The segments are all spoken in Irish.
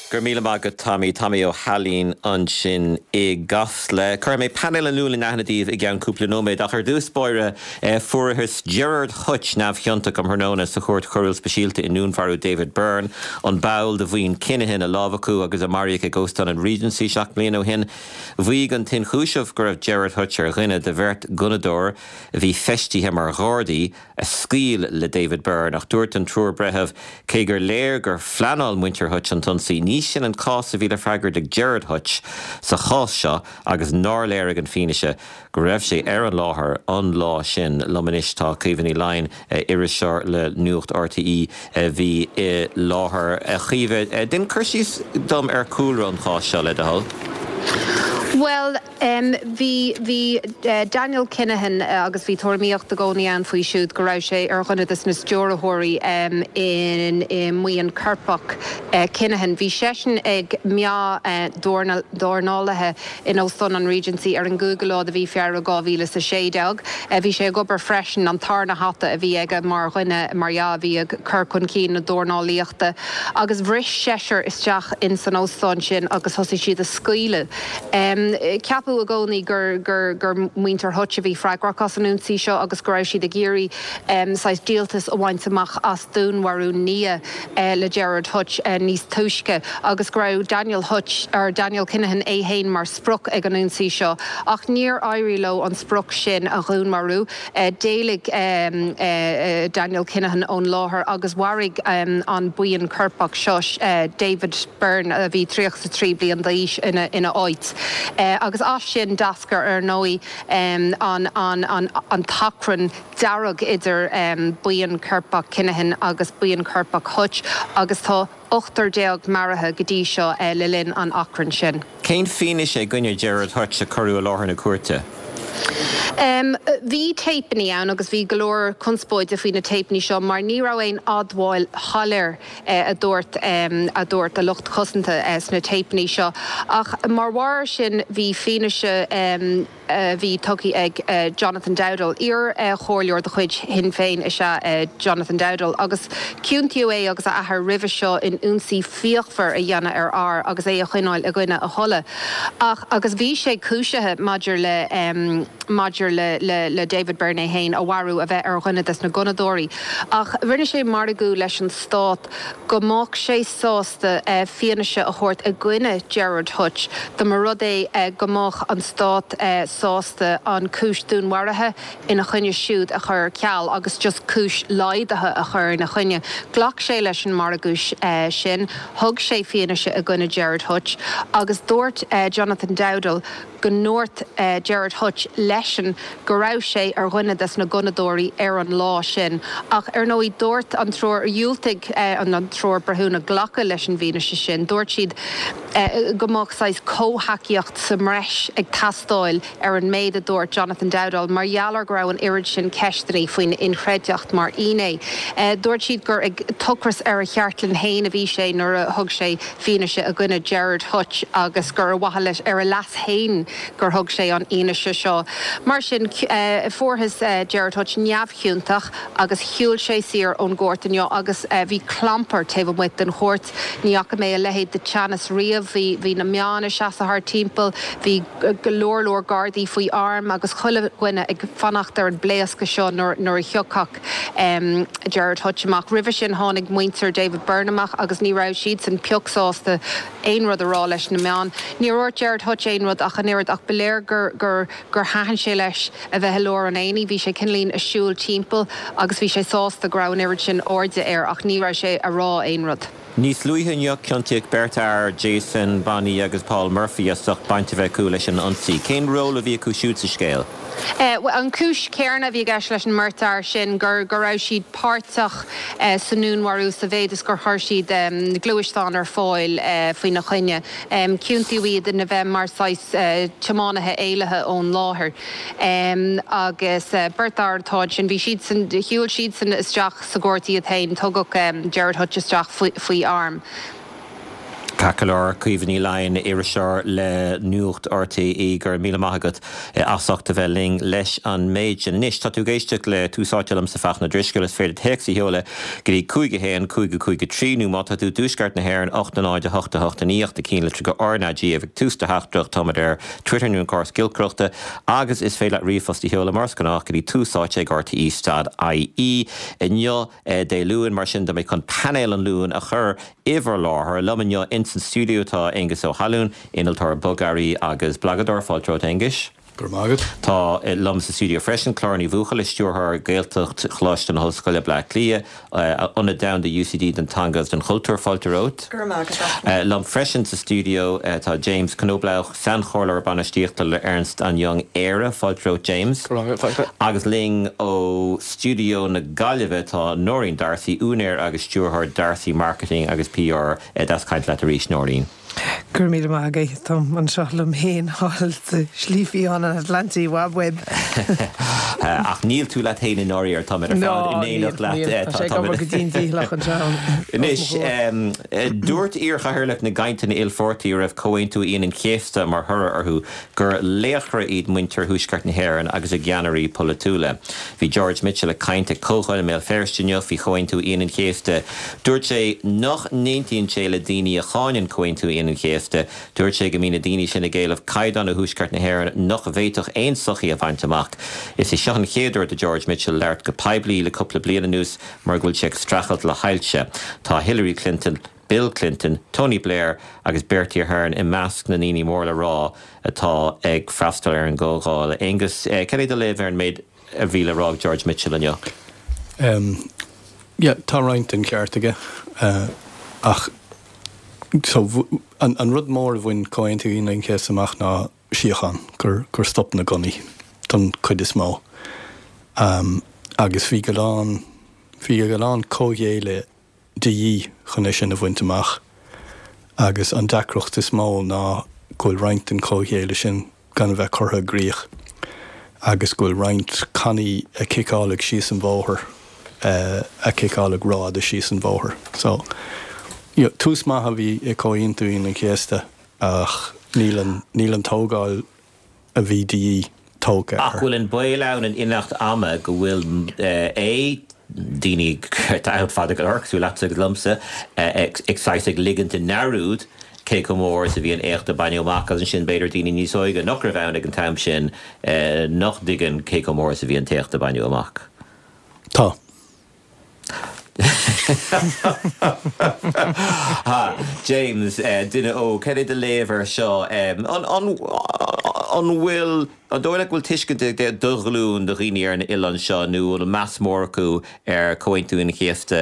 Go raibh míle maith agat Tommy. Tommy Ó hAilín ansin i gCasla. Cuirfidh mé painéal an Luain in aithne daoibh i gceann cúpla nóiméad ach ar dtús báire fuarthas Gerard Hutch neamhchiontach um thráthnóna sa Chúirt Choiriúil Speisialta i ndúnmharú David Byrne, an ball de bhuíon Kinahan a lámhachadh agus a maraíodh ag Óstán an Regency 7 mbliana ó shin. Mhaígh an t-ionchúiseamh go raibh Gerard Hutch ar dhuine de bheirt ghunnadóir a bhí feistithe mar ghardaí a scaoil le David Byrne, ach dúirt an triúr breitheamh, cé gur léir gur phleanáil muintir Hutch an t-ionsaí, ní sin an cás a bhí le freagairt ag Gerard Hutch sa chás seo agus nár léirigh an fianaise go raibh sé ar an láthair an lá sin. Liom anois tá Caoimhe Ní Laighin, iriseoir le Nuacht RTÉ a bhí i láthair. A Chaoimhe, déan cur síos dom ar chúlra an cháis seo, le do thoil. Bhuel, Bhí, bhí Daniel Kinahan agus bhí tuairimíocht i gcónaí ann faoi siúd go raibh sé ar dhuine des na stiúrthóirí in i mbuíon coirpeach Kinahan. Bhí seisean ag meá dornálaithe in Óstán an Regency ar an gcúigiú lá de mhí Feabhra 2016. Bhí sé ag obair freisin, an tarna hata a bhí aige mar dhuine, mar dhea, a bhí ag cur chun cinn na dornálaíochta agus bhris seisear isteach in san óstán sin agus thosaigh siad a scaoileadh. Ceapadh i gcónaí gur muintir Hutch a bhí freagrach as an ionsaí seo agus go raibh siad ag iarraidh saghas díoltas a bhaint amach as dúnmharú nia le Gerard Hutch níos túisce agus go raibh Daniel Hutch, or Daniel Kinahan é féin mar sprioc ag an ionsaí seo. Ach níor éirigh leo an sprioc sin a dhúnmharú. D'éalaigh Daniel Kinahan ón láthair agus mharaigh an buíon coirpeach seo David Byrne, a bhí 33 bliain d'aois, ina áit. Agus as sin d'eascair, ar ndóigh, an t-achrann dearg idir buíon coirpeach Kinahan agus buíon coirpeach Hutch agus tá ochtar déag maraithe go dtí seo le linn an achrainn sin. Cén fianaise i gcoinne Gerard Hutch a cuireadh i láthair na cúirte? Bhí téipeanna ann agus bhí go leor conspóide faoi na téipeanna seo mar ní raibh aon admháil shoiléir a dúirt a dúirt a lucht cosanta sna téipeanna seo. Ach mar bharr air sin bhí fianaise a bhí tugtha ag Jonathan Dowdall. Iar-chomhairleoir de chuid Shinn Féin is ea Jonathan Dowdall agus ciontaíodh é agus a athair roimhe seo in ionsaí fíochmhar a dhéanamh ar fhear agus é a choinneáil i gcoinne a thola. Ach agus bhí sé cúisithe maidir le maidir le le le David Byrne é féin a mharú, a bheith ar dhuine des na gunnadóirí. Ach rinne sé margadh leis an Stát go mbeadh sé sásta fianaise a thabhairt i gcoinne Gerard Hutch dá mba rud é go mbeadh an Stát sásta an cúis dúnmharaithe ina choinne siúd a chur ar ceal agus just cúis laghdaithe a chur ina choinne. Ghlac sé leis an margadh sin, thug sé fianaise i gcoinne Gerard Hutch agus dúirt Jonathan Dowdall go ndúirt Gerard Hutch leisean go raibh sé ar dhuine des na gunnadóirí ar an lá sin. Ach ar ndóigh dúirt an triúr, dhiúltaigh an triúr breithiúna glacadh leis an bhfianaise sin. Dúirt siad go mbeadh saghas comhthacaíocht sa mbreis ag teastáil ar an méid a dúirt Jonathan Dowdall mar gheall ar go raibh an oiread sin ceisteanna faoina inchreidteacht mar fhinné. Dúirt siad gur ag tochras ar a cheartlann féin a bhí sé nuair a thug sé fianaise i gcoinne Gerard Hutch agus gur ar mhaithe leis, ar a leas féin gur thug sé an fhianaise seo. Mar sin, fuarthas Gerard Hutch neamhchiontach agus shiúil sé saor ón gcúirt inniu agus bhí clampar taobh amuigh den chúirt. Ní fhaca mé a leithéid de teannas riamh. Bhí, bhí na meáin ag seasamh thart timpeall, bhí go leor leor gardaí faoi arm agus chuile dhuine ag fanacht ar an bpléascadh seo nuair, nuair a thiocfadh. Gerard Hutch amach. Roimhe sin tháinig muintir David Byrne amach agus ní raibh siadsan pioc sásta aon rud a rá leis na meáin. Níor dhúirt Gerard Hutch aon rud ach an oiread ach ba léir gur gur gur thaitin sé leis a bheith i lár an aonaigh. Bhí sé cineáilín ag siúl timpeall agus bhí sé sásta go raibh an oiread sin airde air ach ní raibh sé a rá aon rud. Níos luaithe inniu ciontaíodh beirt fhear, Jason Bonney agus Paul Murphy, as ucht baint a bheith acu leis an ionsaí. Cén ról a bhí acu siúd sa scéal? Bhuel, an chúis chéanna a bhí i gceist leis an mbeirt fhear sin, gur go raibh siad páirteach sa ndúnmharú sa mhéid is gur chuir siad gluaisteán ar fáil faoina choinne. Ciontaíodh iad ina bheith mar saghas tiománaithe éalaithe ón láthair. Agus beirt fhear atá ansin. Bhí siadsan, shiúil siadsan isteach. sa gcúirt iad féin. Tugadh Gerard Hutch isteach faoi arm. Ceart go leor, Caoimhe Ní Laighin, iriseoir le Nuacht RTÉ, go raibh míle maith agat as ucht a bheith linn leis an méid sin. Anois, tá tú ag éisteacht le Tús Áite liomsa Fachtna Ó Drisceoil, is féidir téacs a sheoladh go dtí 5 1 5 5 3 nó má tá tú i dtuaisceart na hÉireann 8 0 8 8 9 8 na cinnlitreacha RnaG ag tús do theachtaireacht. Táimid ar Twitter nó an córas giolcaireachta agus is féidir leat ríomhphost a sheoladh mar is gnách go dtí tús áite ag rte stad ie. Inniu, Dé Luain, mar sin tá mé chun painéal an Luain a chur i bhur láthair. Liom inniu ins an stiúideo tá Aengus Ó hAlúin, innealtóir bogearraí agus blagadóir. Fáilte romhat, Aonghuis. Go raibh maith agat. Tá liom sa stiúideo freisin Clár Ní Bhuachalla, Stiúrthóir Gaeltacht Choláiste na hOllscoile, Bleá Cliath, Ionad Domhanda UCD don Teanga agus don Chultúr. Fáilte romhat. Go raibh maith agat, Fachtna. Liom freisin sa stiúideo tá James Knoblauch, Sainchomhairleoir Bainistíochta le Ernst and Young Éire. Fáilte romhat, James. Go raibh maith agat, Fachtna. Agus linn ó stiúideo na Gaillimhe tá Nóirín D'Arcy, úinéir agus stiúrthóir D'Arcy Marketing agus PR. Deas caint leat arís, Nóirín. Go raibh míle maith agat. Táim anseo liom féin thall sa Slí Fiáin an Atlantaigh, wab web. Ach níl tú leat féin i ndáiríre, táimid ar fad in éineacht leat. Níl, tá sé ag obair go dian dícheallach anseo. Anois, dúirt iarchathaoirleach na gcainteanna ilpháirtí a raibh Comhaontú Aoine an Chéasta mar thoradh orthu gur laochra iad muintir Thuaisceart na hÉireann agus a gceannairí polaitiúla. Bhí George Mitchell ag caint ag comhdháil i mBéal Feirste inniu faoi Chomhaontú Aoine an Chéasta. Dúirt sé nach n-aontaíonn sé le daoine a cháineann Comhaontú Aoine an Chéasta. Dúirt sé go mbíonn na daoine sin ag éileamh caighdeán ó Thuaisceart na hÉireann nach bhféadfadh aon sochaí a bhaint amach. Is é seo an chéad uair do George Mitchell labhairt go poiblí le cúpla bliain anuas mar go bhfuil sé ag streachailt le hailse. Tá Hillary Clinton, Bill Clinton, Tony Blair agus Bertie Ahern i measc na ndaoine mór le rá atá ag freastal ar an gcomhdháil. Aengus, cad é do léamh ar an méid a bhí le rá ag George Mitchell inniu? Yeah, tá roinnt den cheart aige ach so an rud mór a bhain Comhaontú Aoine an Chéasta amach ná síocháin, gur stop na gunnaí don chuid is mó agus bhí go lán, bhí go lán comhghéilleadh de dhíth chun é sin a bhaint amach agus an deacracht is mó ná go bhfuil roinnt den chomhghéilleadh sin gan a bheith curtha i gcrích agus go bhfuil roinnt cannaí a ciceáladh síos an bhóthar, a ciceáladh rófhada síos an bhóthar. So, you know, tús maith a bhí i Comhaontú Aoine an Chéasta ach níl an, níl an tógáil a bhí de dhíth tógtha Ach air. bhfuil an baol ann in imeacht ama go bhfuil a, daoine atá ann fada go leor, cosúil leatsa agus liomsa, ag saghas ag ligint i ndearúd cé chomh mór is a bhí an éacht a baineadh amach agus ansin b'fhéidir daoine níos óige nach raibh ann ag an t-am sin nach dtuigeann cé chomh mór is a bhí an t-éacht a baineadh amach. Tá. James, duine óg, cad é do léamh air seo? An bhfuil, an dóigh leat go bhfuil tuiscint ag do ghlúin de dhaoine ar an oileán seo nó an bhfuil meas mór acu ar Chomhaontú Aoine an Chéasta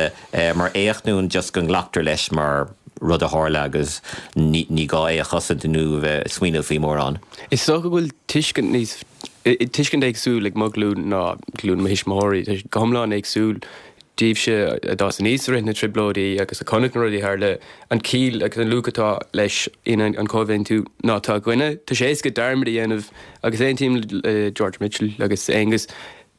mar éacht nó an just go nglactar leis mar rud a tharla agus ní gá é a chosaint nó a bheith ag smaoineamh faoi mórán? Is dócha go bhfuil tuiscint níos tuiscint éagsúil ag mo ghlúin ná glúin mo thuismitheoirí. Tá sé go hiomlán éagsúil daoibhse a d'fhás aníos i rith na dTrioblóidí agus a chonaic na rudaí a tharla, an chiall agus an luach atá leis in an Chomhaontú ná atá againne. Tá sé éasca dearmad a dhéanamh agus aontaím le George Mitchell agus Aengus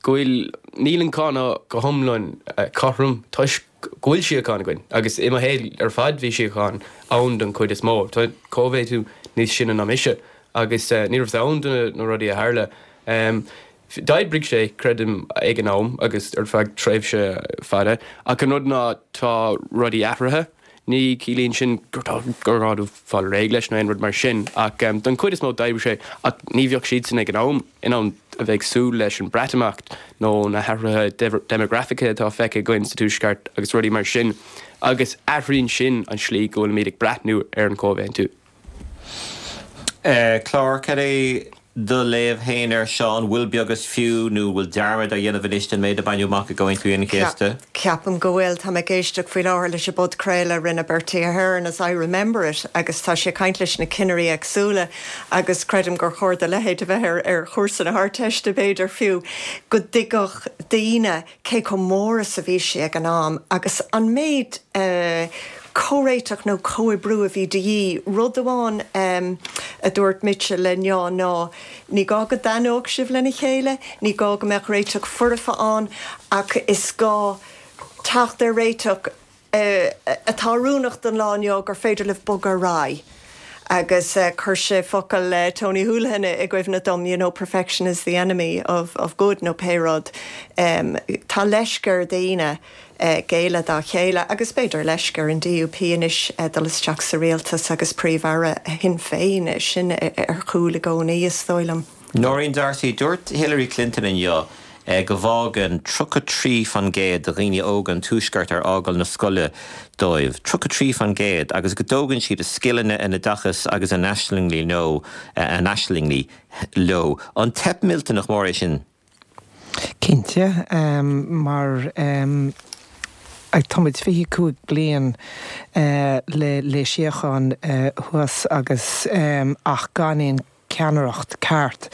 go bhfuil, níl an cáineadh go hiomlán cothrom toisc go bhfuil síocháin againn agus i mo shaol ar fad bhí síocháin ann don chuid is mó. Tá Cóimhéadú níos sine ná mise agus ní rabhas ann do na rudaí a tharla. D'oibrigh sé, creidim, ag an am agus ar feadh tréimhse fada ach an rud ná tá rudaí athraithe. Ní chiallaíonn sin gur gá dóibh fáil réidh leis nó aon rud mar sin ach don chuid is mó d'oibrigh sé ach ní bheadh siadsan ag an am in ann a bheith ag súil leis an Breatimeacht nó na hathruithe déimeagrafacha atá feicthe againn sa Tuaisceart agus rudaí mar sin agus athraíonn sin an slí go bhfuilimid ag breathnú ar an Chomhaontú. Clár, cad é do léamh féin air seo? An bhfuil beag is fiú nó an bhfuil dearmad á dhéanamh anois den méid a baineadh amach i gComhaontú Aoine an Chéasta? Ceapaim go bhfuil. Tá mé ag éisteacht faoi láthair leis an bpodchraoladh a rinne Bertie Ahern, As I Remember It, agus tá sé ag caint leis na cinnirí éagsúla agus creidim gur chóir do leithéid a bheith ar ar chúrsa na hArdteiste b'fhéidir fiú, go dtuigfeadh daoine cé chomh mór is a bhí sé ag an am agus an méid comhréiteach nó comhoibriú a bhí de dhíth. Rud amháin a dúirt Mitchell inniu ná ní gá go dtaitneodh sibh lena chéile, ní gá go mbeadh réiteach foirfe ann ach is gá teacht ar réiteach. atá oiriúnach don lá inniu gur féidir libh bogadh ar aghaidh. Agus chuir sé focail Tony Holohan i gcuimhne dom, you know, perfection is the enemy of of good nó pé rud. Tá leisce ar dhaoine géilleadh dá chéile agus b'fhéidir leisce ar an DUP anois dul isteach sa rialtas agus Príomh-Aire Shinn Féin, sin ar chúl i gcónaí, is dóigh liom. Nóirín D'Arcy, Dúirt Hillary Clinton inniu go bhfágann 33% de dhaoine óga an Tuaisceart ar fhágáil na scoile dóibh, 33%, agus go dtógann siad a scileanna, a n-oideachas agus a n-aislingí leo, a n-aislingí leo. An teip millteanach mór é sin? Cinnte, mar tá muid 25 bliain le síocháin thuas agus ach gan aon ceannaireacht ceart.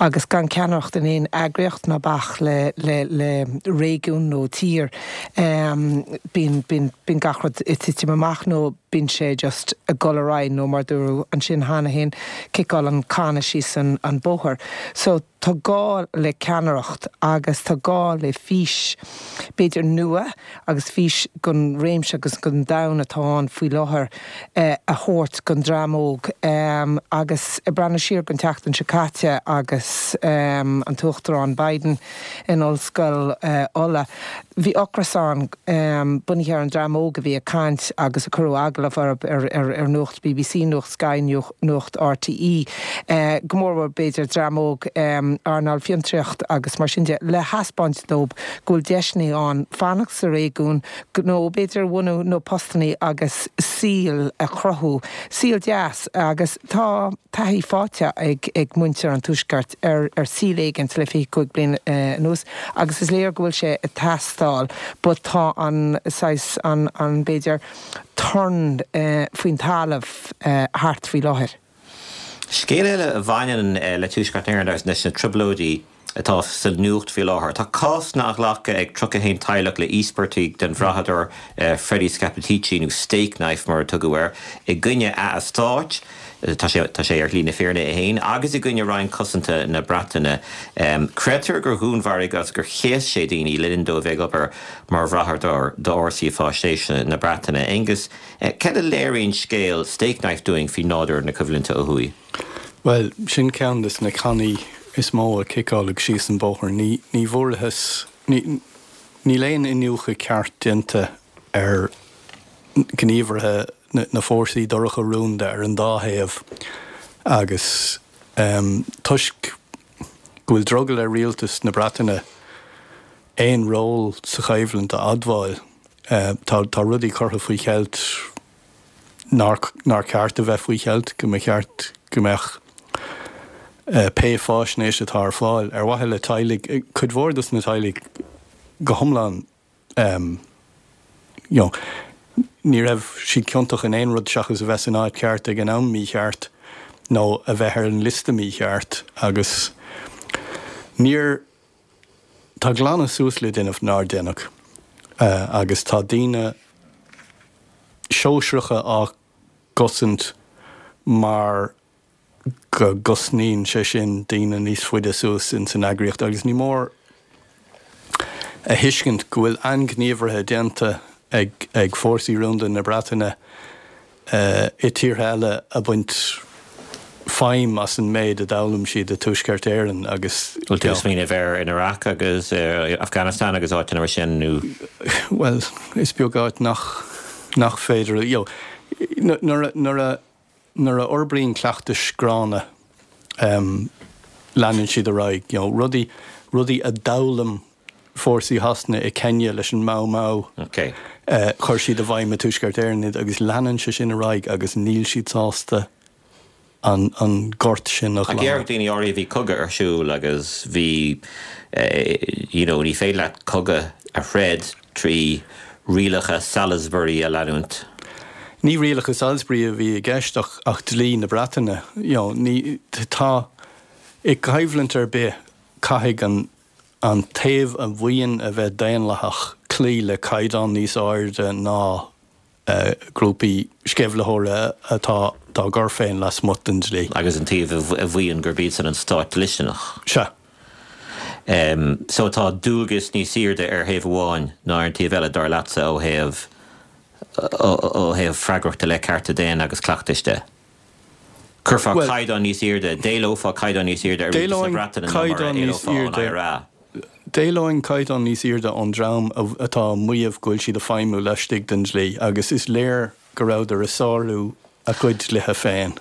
Agus gan ceannaireacht in aon eagraíocht ná bac le le réigiún nó tír bíonn bíonn bíonn gach rud ag titim amach nó bíonn sé just ag dul ar aghaidh nó mar dúradh ansin cheana féin ciceáil an canna síos an an bóthar. So tá gá le ceannaireacht agus tá gá le fís b'fhéidir nua agus fís gon réimse agus gon domhan atá ann faoi láthair a thabhairt gon dream óg. Agus ag breathnú siar gon tseachtain seo caite agus an tUachtarán Biden in Ollscoil Uladh, bhí ocras ann bunaithe ar an dream óg a bhí ag caint agus a cuireadh agallamh orthu ar Nuacht BBC, Nuacht Sky, Nuacht RTÉ, go mórmhór b'fhéidir dream óg earnáil fiontraíocht agus mar sin de, le thaispeáint dóibh go bhfuil deiseanna ann fanacht sa réigiún, gnó b'fhéidir a bhunú nó postannaí agus saol a chruthú, saol deas agus tá taithí faighte ag muintir an Tuaiscirt ar saol éigint le 25 bliain anuas agus is léir go bhfuil sé ag teastáil but tá an saghas, an b'fhéidir torann faoin talamh thart faoi láthair. Scéal eile a bhaineann le Tuaisceart na hÉireann agus leis na Trioblóidí atá sa nuacht faoi láthair. Tá cásanna á nglacadh ag 31 teaghlach le íospartaigh den bhrathadóir Freddie Scappaticci, nó Stakeknife mar a tugadh air, i gcoinne a eastáit, tá sé tá sé ar shlí na fírinne é féin, agus i gcoinne Roinn Cosanta na Breataine. Creidtear gur dhúnmharaigh agus gur chéas sé daoine le linn dó a bheith ag obair mar bhrathadóir d'fhórsaí faisnéise na Breataine. Aengus, cad a léiríonn scéal Stakeknife dúinn faoi nádúr na coimhlinte ó thuaidh? Bhuel, sin ceann de na cannaí is mó a ciceáladh síos an bóthar. Ní ní bhfuarthas, ní níl aon iniúchadh ceart déanta ar ghníomhartha na fórsaí dorcha rúnda ar an dá thaobh agus toisc go bhfuil drogall ar rialtas na Breataine aon ról sa choimhlint a admháil, tá tá rudaí curtha faoi cheilt nár nár ceart a bheith faoi cheilt, go mba cheart go mbeadh pé fáisnéis atá ar fáil ar mhaithe le teaghlaigh, cuid mhór dos na teaghlaigh go hiomlán you know, ní raibh siad ciontach in aon rud seachas a bheith san áit cheart ag an am mícheart nó a bheith ar an liosta mícheart agus níor Tá glanadh suas le déanamh nár déanadh agus tá daoine sóisearacha á gcosaint mar go gcosnaíonn sé sin daoine níos faide suas ins an eagraíocht agus ní mór a thuiscint go bhfuil ainghníomhartha déanta ag fórsaí rúnda na Breataine i tíortha eile ag baint feidhm as an méid a d'fhoghlaim siad i Tuaisceart Éireann agus. Bhfuil tú ag smaoineamh ar in Iraq agus Afghanistan agus áiteanna mar sin nó? Bhuel, is beag áit nach nach féidir, you know, nuair a nuair a nuair a fhorbraíonn cleachtais gránna leanann siad ar aghaidh, you know, rudaí rudaí a d'fhoghlaim fórsaí Shasana i Kenya leis an Mau Mau. Chuir siad i bhfeidhm i Tuaisceart Éireann iad agus leanann sé sin ar aghaidh agus níl siad sásta an gort sin a ghlanadh. Ach déarfadh daoine áirithe bhí cogadh ar siúl agus bhí you know ní féidir leat cogadh a throid trí rialacha Salisbury a leanúint. Ní rialacha Salisbury a bhí i gceist ach ach dlí na Breataine. You know ní tá i gcoimhlint ar bith caithfidh an an taobh a mhaíonn a bheith daonlathach cloí le caighdeán níos airde ná grúpaí sceimhlitheora atá dá gcur féin lasmuigh den dlí. Agus an taobh a mhaíonn gurb iadsan an stát dlisteanach. Sea. So tá dualgas níos airde ar thaobh amháin ná ar an taobh eile, dar leatsa, ó thaobh. Ó thaobh freagrachta i leith cearta daonna agus cleachtais de. Chuirfeá caighdeán níos airde, d'éileofá caighdeán níos airde ar rialtas na Breataine ná mar a éileofá ón IRA. D'éileoinn caighdeán níos airde ón dream atá ag maíomh go bhfuil siad ag feidhmiú laistigh den dlí agus is léir go rabhadar ag sárú a gcuid dlíthe féin.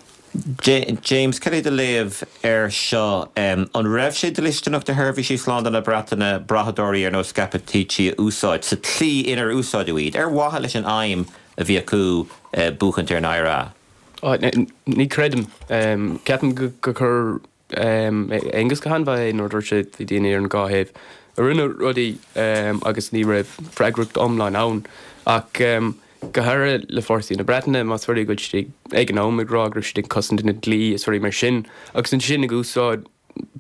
James, cad é do léamh air seo? An raibh sé dlisteanach do sheirbhísí slándála na Breataine brathadóirí ar nós Scappaticci a úsáid sa tslí inar úsáideadh iad, ar mhaithe leis an aidhm a bhí acu, buachaint ar an IRA? Ní chreidim. Ceapaim gur chuir Aengus go han-mhaith é nuair a dúirt sé bhí daoine ar an dhá thaobh a rinne rudaí agus ní raibh freagracht iomlán ann. Ach go háirithe le fórsaí na Breataine, más rud é go bhfuil siad ag an am ag rá go raibh siad ag cosaint na dlí is rudaí mar sin agus ansin ag úsáid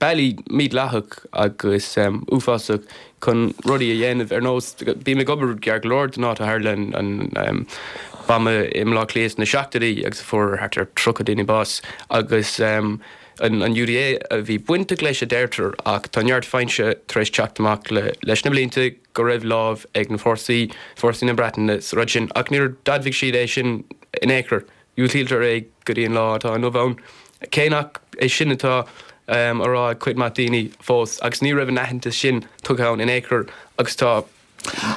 bealaí mídhleathach agus uafásach chun rudaí a dhéanamh ar nós, bím ag obair gar go leor don áit a tharla an buama i mBaile Átha Cliath sna seachtóidí agus a fuair thart ar 30 duine bás agus an UDA a bhí bainteach leis a deirtear ach tá neart fianaise tar éis teacht amach leis na blianta go raibh lámh ag na fórsaí, fórsaí na Breataine sa rud sin ach níor d'admhaigh siad é sin in aon chor. Diúltaítear é go dtí an lá atá inniu ann, cé nach é sin atá á rá ag cuid maith daoine fós, agus ní raibh an aitheantas sin tugtha ann in aon chor agus tá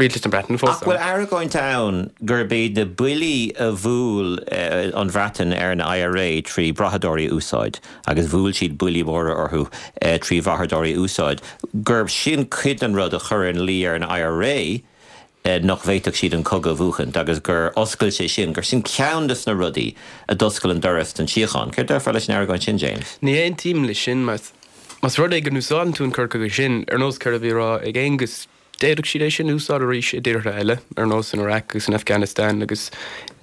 Rialtas na Breataine fós Ach bhfuil ann. argóint ann gurb iad na buillí a bhuail an Bhreatain ar an IRA trí bhrathadóirí a úsáid, agus bhuail siad buillí móra orthu trí bhrathadóirí a úsáid, gurb sin cuid den rud a chuir ina luí ar an IRA nach bhféadfadh siad an cogadh a bhuachaint agus gur oscail sé sin, gur sin ceann de na rudaí a d'oscail an doras don tsíocháin. Céard déarfá leis an argóint sin, James? Ní aontaím leis sin. Más rud é go n-úsáideann tú an cur chuige sin, ar nós céard a bhí á rá ag Aengus, d'fhéadfadh siad é sin a úsáid arís i dtíortha eile, ar nós san Iraq agus in Afghanistan agus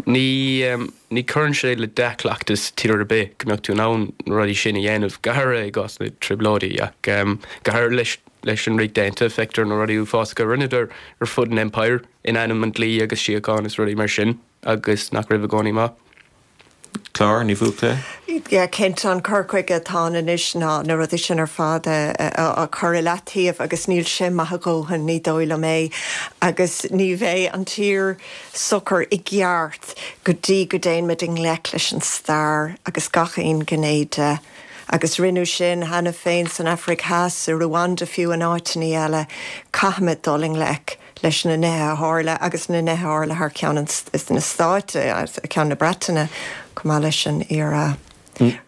ní ní chuireann sé le dea-chleachtas tír ar bith go mbeadh tú in ann na rudaí sin a dhéanamh, go háirithe i gcás na dtrioblóidí ach go háirithe leis Leis an Ríocht Aontaithe, feictear na rudaí uafásacha a rinneadar ar fud an Empire in ainm an dlí agus síocháin is rudaí mar sin agus nach raibh i gcónaí maith. Clár Ní Bhuachalla. Yeah, cinnte, an cur chuige atá ann anois ná na rudaí sin ar fad a chur i leataobh agus níl sé maith a dhóthain, ní dóigh liom é. Agus ní bheidh an tír socair i gceart go dtí go dtéann muid i ngleic leis an stair agus gach aon ghné de. Agus rinneadh sin cheana féin san Afraic Theas, i Ruanda fiú, in áiteanna eile. Caithfimid dul i ngleic leis na nithe a tharla agus na nithe a tharla thar ceann na Stáit, thar ceann na Breataine, chomh maith leis an IRA.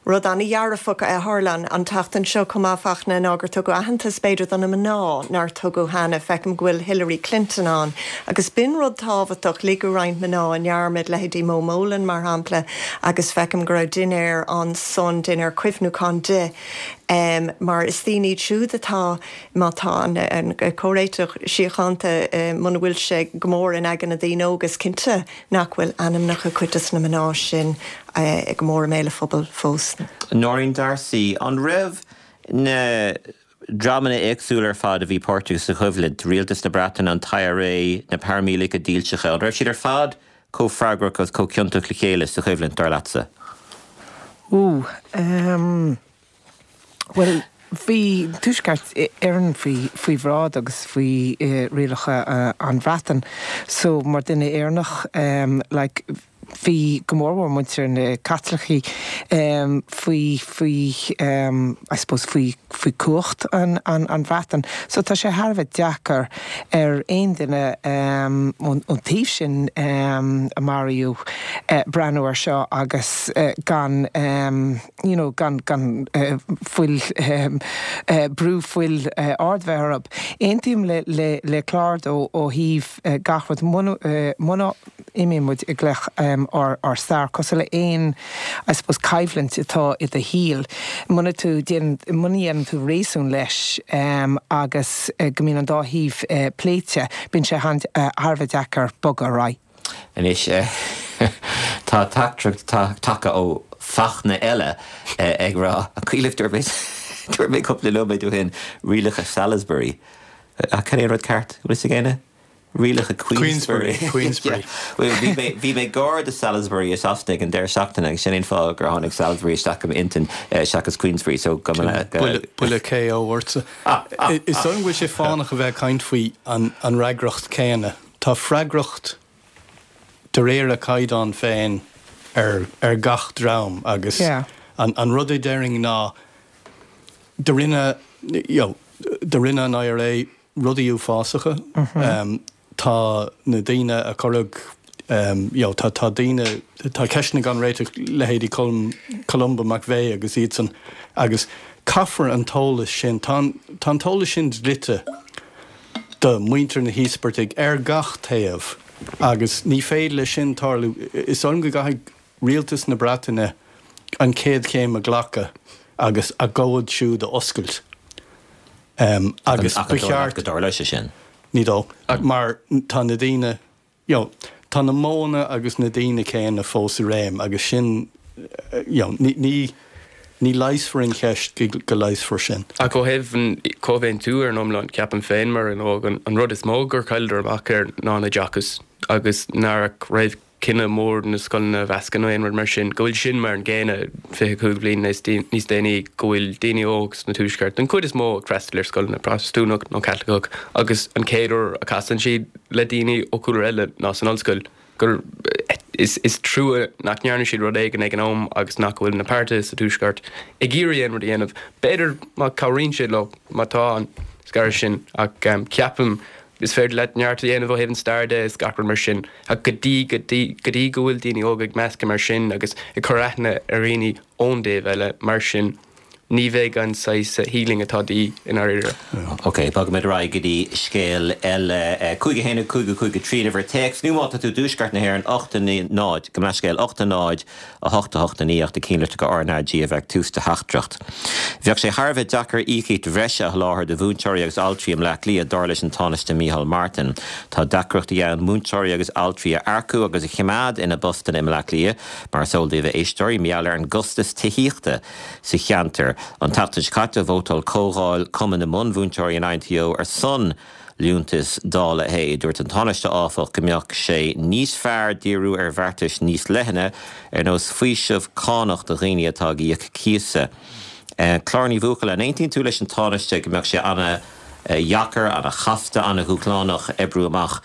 Rud an-dhearfach a tharla an tseachtain seo chomh maith, Fachtna, ná gur tugadh aitheantas, b'fhéidir, do na mná nár tugadh cheana. Feicim go bhfuil Hillary Clinton ann agus b'in rud tábhachtach, ligeadh roinnt mná i ndearmad, leithéidí Mo Mowlam, mar shampla, agus feicim go raibh dinnéar ansan, dinnéar cuimhniúcháin di, mar is daoine iad siúd atá, má tá an comhréiteach síochánta, muna bhfuil sé go mór in aigne na daoine óga, is cinnte nach bhfuil ainmneacha cuid des na mná sin go mór i mbéal an phobail fós. Nóirín D'Arcy, An raibh na dreamanna éagsúla ar fad a bhí páirteach sa choimhlint, Rialtas na Breataine, an tIRA, na paraimíleataigh dílseacha, an raibh siad ar fad chomh freagrach agus chomh ciontach le chéile sa choimhlint, dar leatsa? Ooh, ehm, bhuel, bhí Tuaisceart Éireann faoi, faoi bhráid agus faoi rialacha an Bhreatain. So, mar duine Éireannach, ehm, like, bhí go mórmhór muintir na Caitlicigh faoi, faoi, I suppose faoi, faoi cumhacht an, an, an Bhreatain. So tá sé thar a bheith deacair ar aon duine ón, ón taobh sin a maraíodh breathnú ar seo agus gan you know gan, gan fuil, brú fuil ard bheith orthu. Aontaím le, le, le Clár ó thaobh gach rud, muna, muna, imíonn muid i ngleic ár stair, cosúil le aon, I suppose, coimhlint atá i do shaol, muna tú, muna dhéanann tú réasún leis agus go mbíonn an dá thaobh pléite, bíonn sé thar a bheith deacair bogadh ar aghaidh. Anois, tá teachtaireacht tagtha ó Fachtna eile ag rá, an cuimhin libh, dúirt mé, dúirt mé cúpla nóiméad ó shin, rialacha Salisbury. Ach cad é an rud ceart? Bhfuil fhios ag éinne? Rialacha Queensberry. Queensberry. Bhuel, bhí mé, bhí mé gar do Salisbury i Sasana ag an deireadh seachtaine agus sin é an fáth gur tháinig Salisbury isteach i m'intinn seachas Queensberry, so go mba le. Buille, buille KO ortsa. Is dóigh liom go bhfuil sé fánach a bheith ag caint faoi an, an fhreagracht céanna. Tá freagracht. de réir a caighdeán féin ar ar gach dream agus an rud a déarfainn ná do rinne you know do rinne an IRA rudaí uafásacha. Tá na daoine a cuireadh you know tá tá daoine tá ceisteanna gan réiteach leithéidí Colm Columba McVeigh agus iadsan agus caithfear an t-eolas sin tá an tá an t-eolas sin dlite do mhuintir na híospartaigh ar gach taobh agus ní féidir leis sin tarlú. Is dóigh liom go gcaithfidh rialtas na Breataine an chéad chéim a ghlacadh agus a gcomhad siúd a oscailt. Agus ba cheart. go dtarlóidh sé sin? Ní dóigh. Mar tá na daoine, you know, tá na modhanna agus na daoine céanna fós i réim agus sin, you know, ní, ní leigheasfar an cheist go go leigheasfar sin. Ach ó thaobh an comhaontú ar an iomlán, ceapaim féin mar dhuine óg, an rud is mó gur chailleadar amach air ná an oideachas agus nach raibh cinneadh mór na scoileanna a mheascadh nó aon rud mar sin, go bhfuil sin mar an gcéanna 25 bliain níos déanaí, go bhfuil daoine óg sna Tuaisceart, den chuid is mó ag freastal ar scoileanna Protastúnach nó Caitliceach agus an chéad uair a casann siad le daoine ó chúlra eile ná san ollscoil, gur is trua nach ndearna siad rud éigin ag an am agus nach bhfuil na páirtithe sa Tuaisceart ag iarraidh aon rud a dhéanamh. B'fhéidir má cabhraíonn sé leo, má tá an scaradh sin ach ceapaim Is féidir leat neart a dhéanamh ó thaobh an stair de is gach rud mar sin, ach go dtí, go dtí, go dtí go bhfuil daoine óga ag meascadh mar sin agus ag cur aithne ar dhaoine ón dtaobh eile mar sin, ní bheidh an saghas healing atá de dhíth i ndáiríre. Ok, bogfaimid ar aghaidh go dtí scéal eile. 5 1 5 5 3 uimhir téacs, nó má tá tú i dtuaisceart na hÉireann, 8 9 0, gabh mo leithscéal, 8 0 8 8 9 ach na cinnlitreacha RnaG a bheadh tús do theachtaireacht. Bheadh sé thar a bheith deacair íocaíocht bhreise a sholáthar do mhúinteoirí agus altraí i mBleá Cliath, dar leis an Tánaiste Micheál Martin. Tá deacrachtaí ann múinteoirí agus altraí a earcú agus a choimeád ina bpostanna i mBleá Cliath, mar is eol daoibh a éisteoirí, mar gheall ar an gcostas tithíochta sa cheantar. An tseachtain seo caite, vótáil Comhdháil Cumann na Bunmhúinteoirí an INTO ar son liúntas dá leithéid. Dúirt an Tánaiste, áfach, go mbeadh sé níos fearr díriú ar bheartais níos leithne, ar nós faoiseamh cánach do dhaoine atá ag íoc cíosa. Clár Ní Bhuachalla, an aontaíonn tú leis an Tánaiste go mbeadh sé ana-dheacair, ana-chasta, ana-dhúshlánach oibriú amach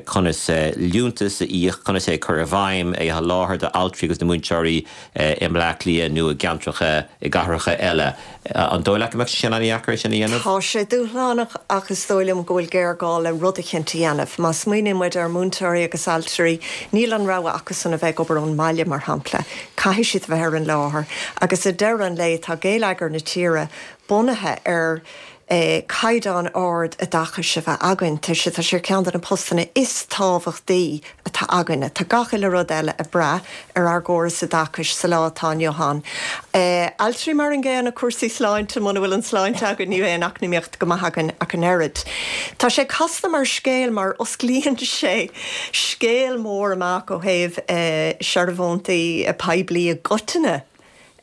conas liúntas a íoc, conas é a chur i bhfeidhm, é a sholáthar d'altraí agus do mhúinteoirí i mBleá Cliath nó i gceantracha, i gcathracha eile. An dóigh leat go mbeadh sé sin an-dheacair é sin a dhéanamh? Tá sé dúshlánach ach is dóigh liom go bhfuil géarghá le rud eicínt a dhéanamh. Má smaoiníonn muid ar mhúinteoirí agus altraí, níl an rogha acusan a bheith ag obair ón mbaile, mar shampla. Caithfidh siad a bheith ar an láthair. Agus ag deireadh an lae, tá géilleagar na tíre bunaithe ar caighdeán ard oideachais a bheith againn. Tá sé tá sé ar cheann de na postanna is tábhachtaí atá againne. Tá gach uile rud eile ag brath ar ár gcóras oideachais sa lá atá inniu ann. Altraí mar an gcéanna, cúrsaí sláinte, muna bhfuil an tsláinte againn ní bheidh an eacnamaíocht go maith againn ach an oiread. Tá sé casta mar scéal mar osclaíonn sé scéal mór amach ó thaobh searbhóntaí poiblí i gcoitinne.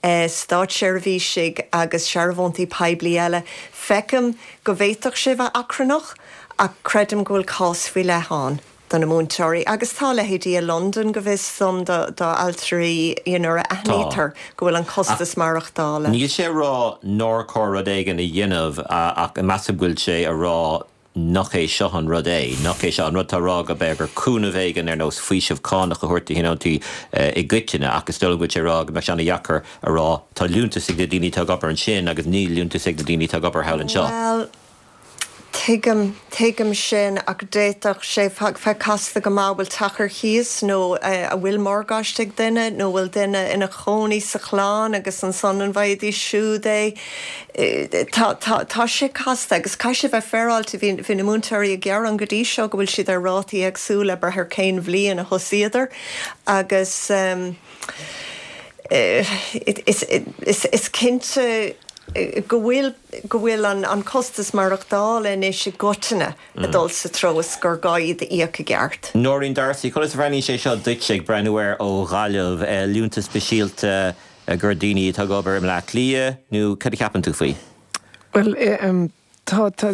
státseirbhísigh agus searbhóntaí poiblí eile. Feicim go bhféadfadh sé bheith achrannach ach creidim go bhfuil cás faoi leith ann do na múinteoirí agus tá leithéidí i Londain, go bhfios dom, do altraí you know nuair a aithnítear go bhfuil an costas maireachtála. Níl sé a rá nár chóir rud éigin a dhéanamh ach measaim go bhfuil sé a rá nach é seo an rud é, nach é seo an rud atá á rá go b'fhéidir gur cúnamh éigin ar nós faoiseamh cánach a thabhairt do thionóntaí i gcoitinne ach is dóigh liom go bhfuil sé ag rá go mbeadh sé an-dheacair a rá tá liúntas ag na daoine atá ag obair ansin agus níl liúntas ag na daoine atá ag obair thall anseo. Bhuel, tuigim, tuigim sin ach d'fhéadfadh sé bheith casta go maith, bhfuil teach ar cíos nó an bhfuil morgáiste ag duine nó bhfuil duine ina chónaí sa chlann agus ansan an bhfaighidís siúd é? Tá, tá, tá sé casta agus caithfidh sé bheith féaráilte. Bhí, bhí na múinteoirí ag gearán go dtí seo go bhfuil siad ar rátaí éagsúla ag brath ar cén bhliain a thosaíodar agus is, is, is cinnte go bhfuil, go bhfuil an, an costas maireachtála anois i gcoitinne ag dul sa treo is gur gá iad a íoc i gceart. Nóirín D'Arcy, conas a bhreathnaíonn sé seo duitse ag breathnú air ó Ghaillimh, liúntas speisialta gur daoine atá ag obair i mBleá Cliath, nó cad a cheapann tú faoi? Bhuel, Tá, tá,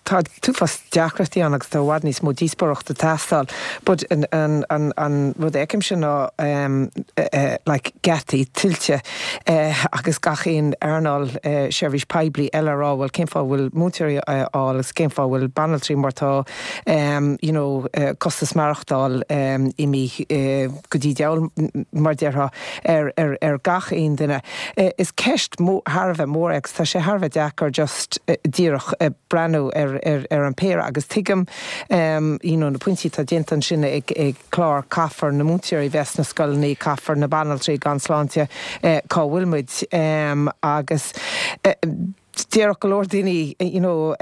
tá an t-uafás deacrachtaí ann agus tá i bhfad níos mó díospóireachta ag teastáil. But an, an, an, an rud a fheicimse ná like geataí tuilte agus gach aon earnáil seirbhís poiblí eile a rá bhuel cén fáth a bhfuil múinteoirí á fháil agus cén fáth a bhfuil banaltraí mar tá you know costas maireachtáil imithe go dtí diabhal mar déarfá ar, ar, ar gach aon duine. Is ceist thar a bheith mór é agus tá sé thar a bheith deacair just díreach breathnú ar, ar, ar an péire agus tuigim you know na pointí atá déanta ansin ag, ag Clár, caithfear na múinteoirí bheith sna scoileanna, caithfear na banaltraí gan sláinte cá bhfuil muid agus. Déarfadh go leor daoine, you know,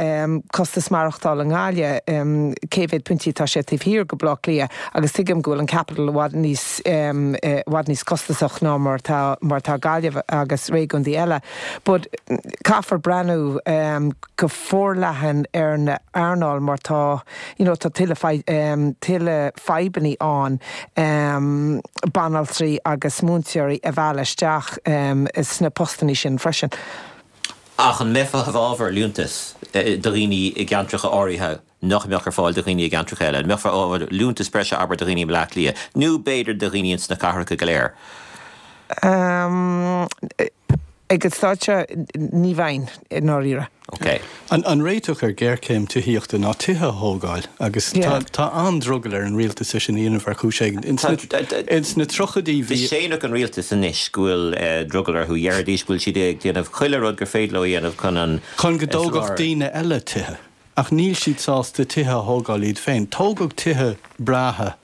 costas maireachtála i nGaillimh, cé mhéad pointí atá sé taobh thiar de Bhleá Cliath agus tuigim go bhfuil an capital i bhfad níos, i bhfad níos costasach ná mar atá, mar atá Gaillimh agus réigiúin eile. But caithfear breathnú go forleathan ar na earnáil mar tá, you know, tá tuilleadh, tuilleadh fadhbannaí ann, banaltraí agus múinteoirí a mhealladh isteach sna postannaí sin freisin. Ach an mbeifeá i bhfabhar liúntas do dhaoine i gceantracha áirithe nach mbeadh ar fáil do dhaoine i gceantracha eile? An mbeifeá i bhfabhar liúntas breise, abair, do dhaoine i mBleá Cliath, nó b'fhéidir do dhaoine ins na cathracha go léir? Ag an staid seo, ní bheinn, i ndáiríre. Ok. An réiteach ar ghéarchéim tithíochta ná tithe a thógáil agus tá an-drogall ar an rialtas é sin a dhéanamh ar chúis éigin. Ins na tríochaidí bhí. Séanfadh an rialtas anois go bhfuil drogall orthu. Dhéarfaidís go bhfuil siad ag déanamh chuile rud gur féidir leo a dhéanamh chun an. Chun go dtógfadh daoine eile tithe. Ach níl siad sásta tithe a thógáil iad féin. Tógadh tithe breátha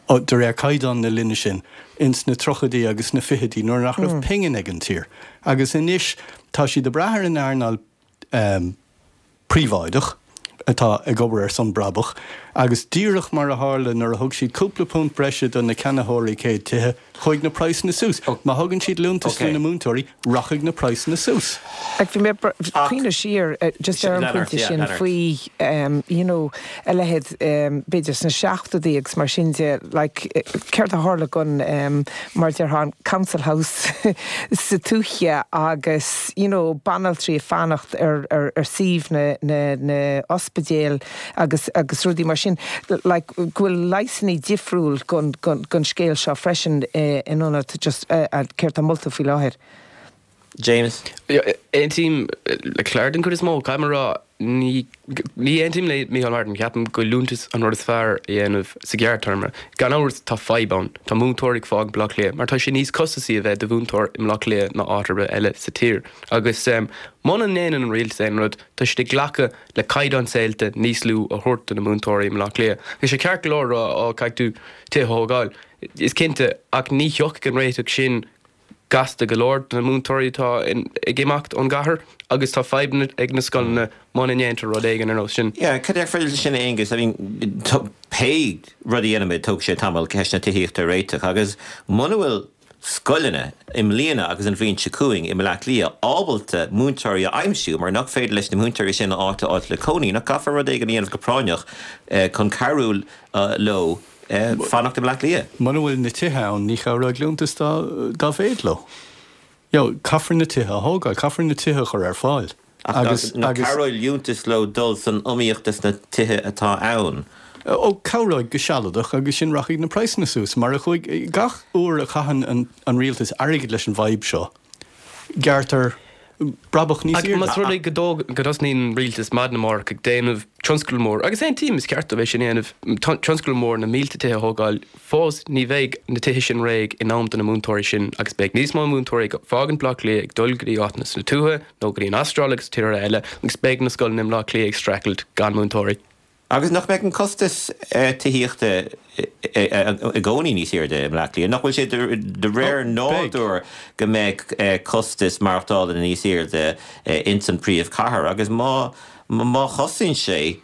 de réir caighdeán na linne sin, ins na tríochaidí agus na fichidí nuair nach raibh pingin ag an tír. Agus anois tá siad ag brath ar an earnáil príobháideach atá ag obair ar son brabach agus díreach mar a tharla nuair a thug siad cúpla punt breise do na ceannaitheoirí céad tithe, chuaigh na praghsanna suas. Má thugann siad liúntas do na múinteoirí, rachaidh na praghsanna suas. Ach bhí mé ag cuimhneamh siar just ar an bpointe sin faoi you know a leithéid b'fhéidir sna seachtóidí agus mar sin de like céard a tharla gon mar déarfá an council house sa tuaithe agus you know banaltraí ag fanacht ar ar ar suíomh na na na ospidéal agus agus rudaí mar sin like go bhfuil leigheasanna difriúil gon gon gon scéal seo freisin in ionad just céard tá molta faoi láthair. James. Aontaím le Claire den chuid is mó. Caithfidh mé a rá, ní ní aontaím le Micheál Martin. Ceapaim go liúntas an rud is fearr a dhéanamh sa ghearrtéarma. Gan amhras tá fadhb ann. Tá múinteoirí ag fágaint Baile Átha Cliath mar tá sé níos costasaí a bheith i do mhúinteoir i mBaile Átha Cliath ná áit ar bith eile sa tír. Agus muna ndéanann an rialtas aon rud, tá siad ag glacadh le caighdeán saolta níos lú a thabhairt do na múinteoirí i mBaile Átha Cliath. Tá sé ceart go leor a rá, á, caithfidh tú tithe a thógáil. Is cinnte, ach ní thiocfaidh an réiteach sin gasta go leor do na múinteoirí atá ag imeacht ón gcathair agus tá fadhbanna ag na scoileanna muna ndéantar rud éigin ar nós sin. Yeah, cad é faoi sin Aengus? I mean, pé rud a dhéanaimid, tógfaidh sé tamall ceist na tithíochta a réiteach agus muna bhfuil scoileanna i mbliana agus an bhliain seo chugainn i mBleá Cliath ábalta múinteoirí a aimsiú mar nach féidir leis na múinteoirí sin áit a fháilt le cónaí, nach gcaithfear rud éigin a dhéanamh go práinneach chun cabhrú leo fanacht i mBleá Cliath? Muna bhfuil na tithe ann, ní chabhróidh liúntas dá mhéad leo. You know, caithfear na tithe a thógáil, caithfear na tithe a chur ar fáil. Ach nach cabhróidh liúntas leo dul san iomaíocht dos na tithe atá ann? Ó, cabhróidh go sealadach agus ansin rachaidh na praghsanna suas mar a chuaigh. Gach uair a chaitheann an rialtas airgead leis an bhfadhb seo, gearrtar brabach níos airde. Más rud é go dtosnaíonn an rialtas maidin amárach ag déanamh tionscadal mór, agus aontaím, is ceart dóibh é sin a dhéanamh, tionscadal mór na mílte tithe a thógáil, Fós, ní bheidh na tithe sin réidh in am do na múinteoirí sin agus beidh níos mó múinteoirí ag fágaint Bleá Cliath ag dul go dtí áiteanna sna tuaithe nó go dtí an Astráil agus tíortha eile agus beidh na scoileanna i mBleá Cliath ag streachailt gan múinteoirí. Agus nach mbeidh an costas tithíochta i gcónaí níos airde i mBleá Cliath? Nach bhfuil sé de réir nádúir go mbeidh costas maireachtála níos airde ins an príomhchathair agus má má chostaíonn sé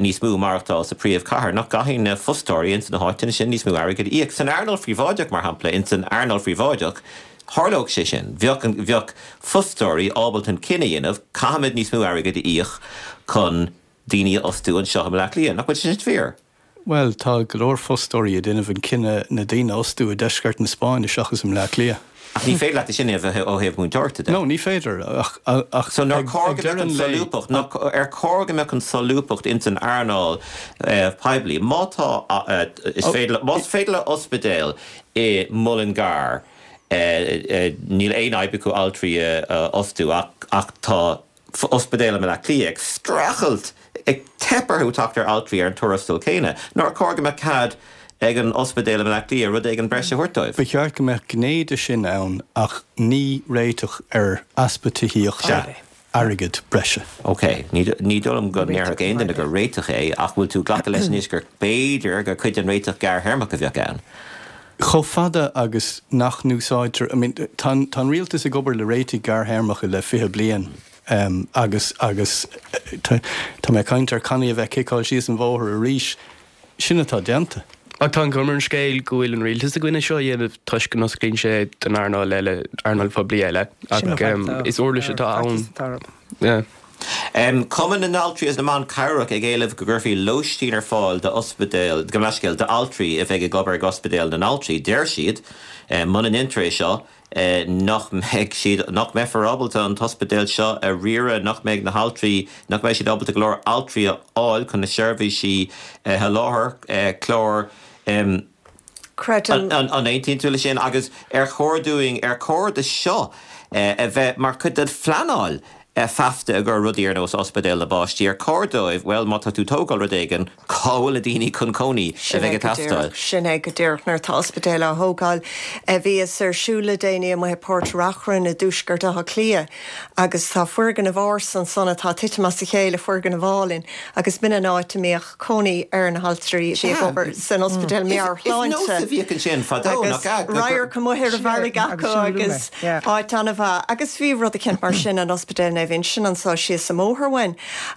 níos mó maireachtáil sa phríomhchathair, nach gcaithfidh na fostóirí ins na háiteanna sin níos mó airgid a íoc. San earnáil phríobháideach, mar shampla, ins an earnáil phríobháideach, tharlódh sé sin. Bheadh, bheadh fostóirí ábalta an cinneadh a dhéanamh, caithfimid níos mó airgid a íoc chun daoine a fhostú anseo i mBleá Cliath. Nach bhfuil sé sin fíor? Bhuel, tá go leor fostóirí ag déanamh an cinneadh na daoine a fhostú i deisceart na Spáinne seachas i mBleá Cliath. Ach ní féidir leat é sin a dhéanamh ó thaobh múinteoireachta de. No, ní féidir, ach ach So nár ag chóir go deireadh mbeadh an an lae. solúbthacht, nach, ar chóir go mbeadh an solúbthacht ins an earnáil poiblí? Má tá, is féidir le, más féidir le ospidéal i Mullingar, níl aon fhadhb acu altraí a fhostú ach, ach tá ospidéal i mBleá Cliath ag streachailt, ag teip orthu teacht ar altraí ar an tuarastal céanna. Nár chóir go mbeadh cead ag an ospidéal i mBleá Cliath rud éigin breise a thabhairt dóibh? Ba cheart go mbeadh gné de sin ann ach ní réiteach ar easpa tithíochta airgead breise. Ok, ní dóigh liom go ndéarfadh aon duine gur réiteach é ach bhfuil tú ag glacadh leis anois gur b'fhéidir gur cuid den réiteach gearrthéarmach a bheadh ann? Chomh fada agus nach n-úsáidtear, I mean, tá an rialtas ag obair le réitigh ghearrthéarmacha le 20 bliain agus, agus tá mé ag caint ar cannaí a bheith ag ciceáil síos an bhóthar arís, sin atá déanta. Ach tá an chuma ar an scéal go bhfuil an rialtas i gcoinne seo a dhéanamh toisc go n-osclaíonn sé don earnáil eile, earnáil phoiblí eile. Ach is uirlis atá ann. Cumann na nAltraí agus na mBan Cabhrach ag éileamh go gcuirfí lóistín ar fáil d'ospidéil, gabh mo leithscéal, d'altraí a bheidh ag obair ag ospidéal na n-altraí. Deir siad, muna ndéantar é seo, nach mbeidh siad, nach mbeifear ábalta an t-ospidéal seo a riaradh, nach mbeidh na haltraí, nach mbeidh siad ábalta go leor altraí a fháil chun na seirbhísí a sholáthar. Clár. Creidim. An aontaíonn tú leis sin? Agus ar chóir dúinn, ar chóir do seo a bheith mar chuid den phleanáil feasta i gcomhair rudaí ar nós ospidéal na bpáistí, ar chóir dóibh, bhuel, má tá tú ag tógáil rud éigin, cá bhfuil na daoine chun cónaí a Sin bheidh é ag go teastáil? díreach, sin é go díreach. Nuair atá ospidéal á thógáil, bhíos ar siúl le déanaí amuigh i Port Reachrann i dtuaisceart Átha Cliath agus tá foirgneamh ársa ansan atá ag titim as a chéile, foirgneamh álainn, agus b'in an áit a mbíodh cónaí ar na haltraí a bhí ag obair san ospidéal meabhairshláinte. Is nós a bhíodh ansin fadó, nach ea? Agus radharc amuigh ar an bhfarraige acu agus áit an-mhaith. Agus bhí rud eicínt mar sin in Ospidéal Naomh Uinseann anso síos an mbóthar uainn.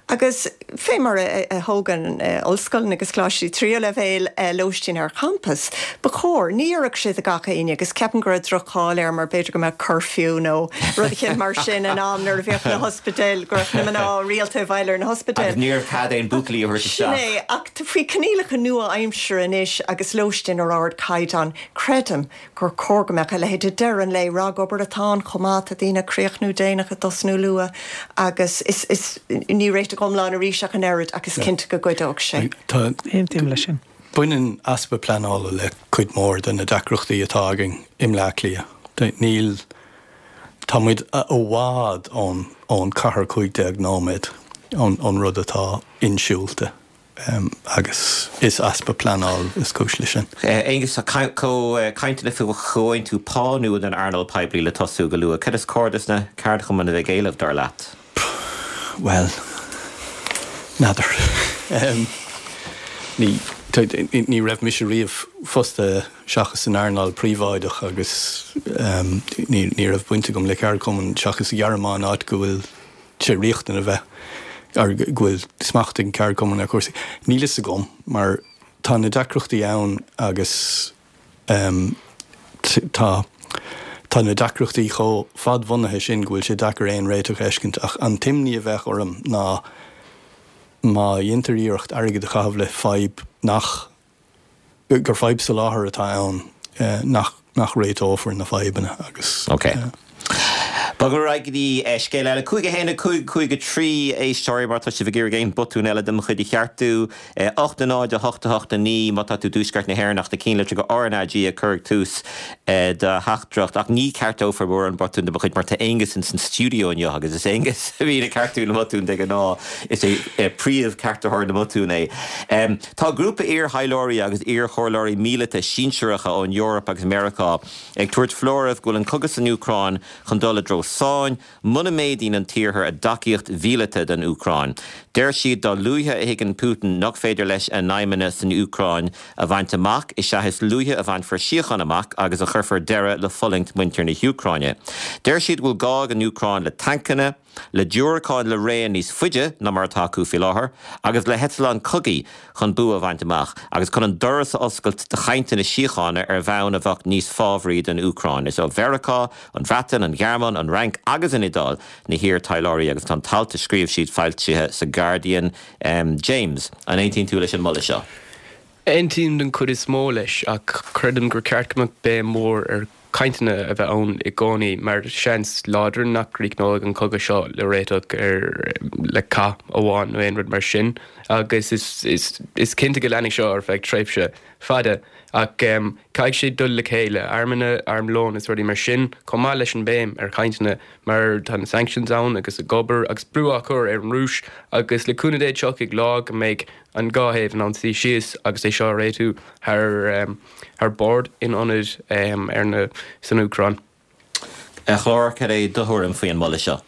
Agus fé mar a thógann ollscoileanna agus coláistí tríú leibhéal lóistín ar champas, ba chóir, ní oirfeadh sé do gach éinne agus ceapaim go raibh droch-cháil air mar b'fhéidir go mbeadh curfew nó rud eicínt mar sin in am nuair a bhíodh na hospidéil, go raibh na mná rialta i bhfeighil ar na hospidéil. Agus ní raibh cead aon buachaillí a thabhairt isteach. Sin é, ach faoi choinníollacha nua-aimsire anois agus lóistín ar ardchaighdeán, creidim gur chóir go mbeadh a leithéid. Ag deireadh an lae, ragobair atá ann chomh maith, tá daoine ag críochnú déanach, ag tosnú luath agus is, is, ní réiteach iomlán arís ach an oiread ach is cinnte go gcuideodh sé. Tá. Aontaím leis sin. Baineann easpa pleanála le cuid mhór de na deacrachtaí atá againn i mBleá Cliath. Níl. Tá muid i bhfad ón ón cathair 15 nóiméad ón rud atá insiúlta agus is easpa pleanáil is cúis leis sin. Aonghus, tá cainteanna faoi chomhaontú pá nua don earnáil poiblí le tosú go luath. Cad is cóir dos na ceardchumainn a bheith ag éileamh, dar leat? Bhuel, n'fheadar. Ní, ní raibh mise riamh fostaithe seachas san earnáil príobháideach agus ní, ní raibh baint agam le ceardchumann seachas sa Ghearmáin áit go bhfuil sé riachtanach a bheith, or go bhfuil smacht ag an ceardchumann ar chúrsaí. Níl fhios agam mar tá na deacrachtaí ann agus tá tá na deacrachtaí chomh fadbhunaithe sin go bhfuil sé deacair aon réiteach a fheiscint ach an t-imní a bheadh orm ná má dhéantar iarracht airgead a chaitheamh le fadhb nach gur fadhb soláthair atá ann nach nach réiteofar na fadhbanna agus. Ok. Bogfaidh ar aghaidh go dtí scéal eile. 5 1 5 5 3 éisteoirí má tá sibh ag iarraidh aon botún eile de mo chuid a cheartú. 8 0 8 8 9 má tá tú i dtuaisceart na hÉireann ach na cinnlitreacha RnaG a chur ag tús do theachtaireacht. Ach ní ceartófar mórán botún de mo chuid mar tá Aonghus ins an stiúideo inniu agus is Aonghus a bhíonn ag ceartú na mbotún de ghnáth. Is é príomh-cheartaitheoir na mbotún é. Tá grúpa iar-thaidhleoirí agus iar-chomhairleoirí míleata sinsearacha ón Eoraip agus Meiriceá ag tabhairt foláirimh go bhfuil an cogadh san Úcráin chun dul i dtreo sáinn muna méadaíonn an tIarthar a dtacaíocht mhíleata don Úcráin. Deir siad dá luaithe a thuigeann Putin nach féidir leis a aidhmeanna san Úcráin a bhaint amach is ea is luaithe a bhainfear síocháin amach agus a chuirfear deireadh le fulaingt muintir na hÚcráine. Deir siad go bhfuil gá ag an Úcráin le tancanna, le diúracáin le raon níos faide ná mar atá acu faoi láthair, agus le heitleáin chogaidh chun bua a bhaint amach, agus chun an doras a oscailt do chainteanna síochána ar bhonn a bheadh níos fábhraí don Úcráin. Is ó Mheiriceá, an Bhreatain, an Ghearmáin, an Fhrainc agus an Iodáil na hiar-taidhleoirí agus tá an t-alt a scríobh siad foilsithe sa Guardian. James, an aontaíonn tú leis an moladh seo? Aontaím den chuid is mó leis ach creidim gur ceart go mbeadh béim mhór ar chainteanna a bheith ann i gcónaí mar seans láidir nach gcríochnóidh an cogadh seo le réiteach ar le cath amháin nó aon rud mar sin agus is is cinnte go leanfaidh seo ar feadh tréimhse fada ach caithfidh sé dul le chéile, armanna, armlón is rudaí mar sin chomh maith leis an béim ar chainteanna mar tá na sanctions ann agus ag obair agus brú á chur ar an Rúis agus le cúnamh Dé tiocfaidh lá go mbeidh an dhá thaobh in ann suí síos agus é seo a réitiú thar thar bord in ionad ar na san Úcráin. A Chlár, cad é do thuairim faoi an moladh seo?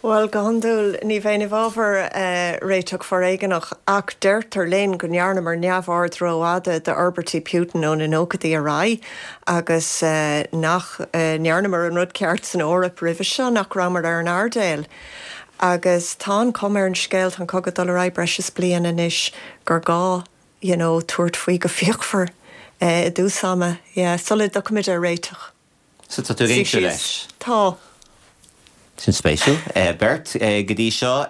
Bhuel, go hiondúil ní bheinn i bhfabhar réiteach foréigeanach ach deirtear linn go ndearnamar neamhaird rófhada d'fhorbairtí Putin ó na nóchaidí ar aghaidh agus nach ndearnamar an rud ceart san Eoraip roimhe seo, nach rabhamar ar an airdeall. Agus tá an chuma ar an scéal, tá an cogadh ag dul ar aghaidh breis is bliain anois, gur gá you know tabhairt faoi go fíochmhar i dtús ama, yeah, sula dtiocfaimid ar réiteach. So tá tú ag aontú leis? Tá. Sin spéisiúil. Beirt go dtí seo.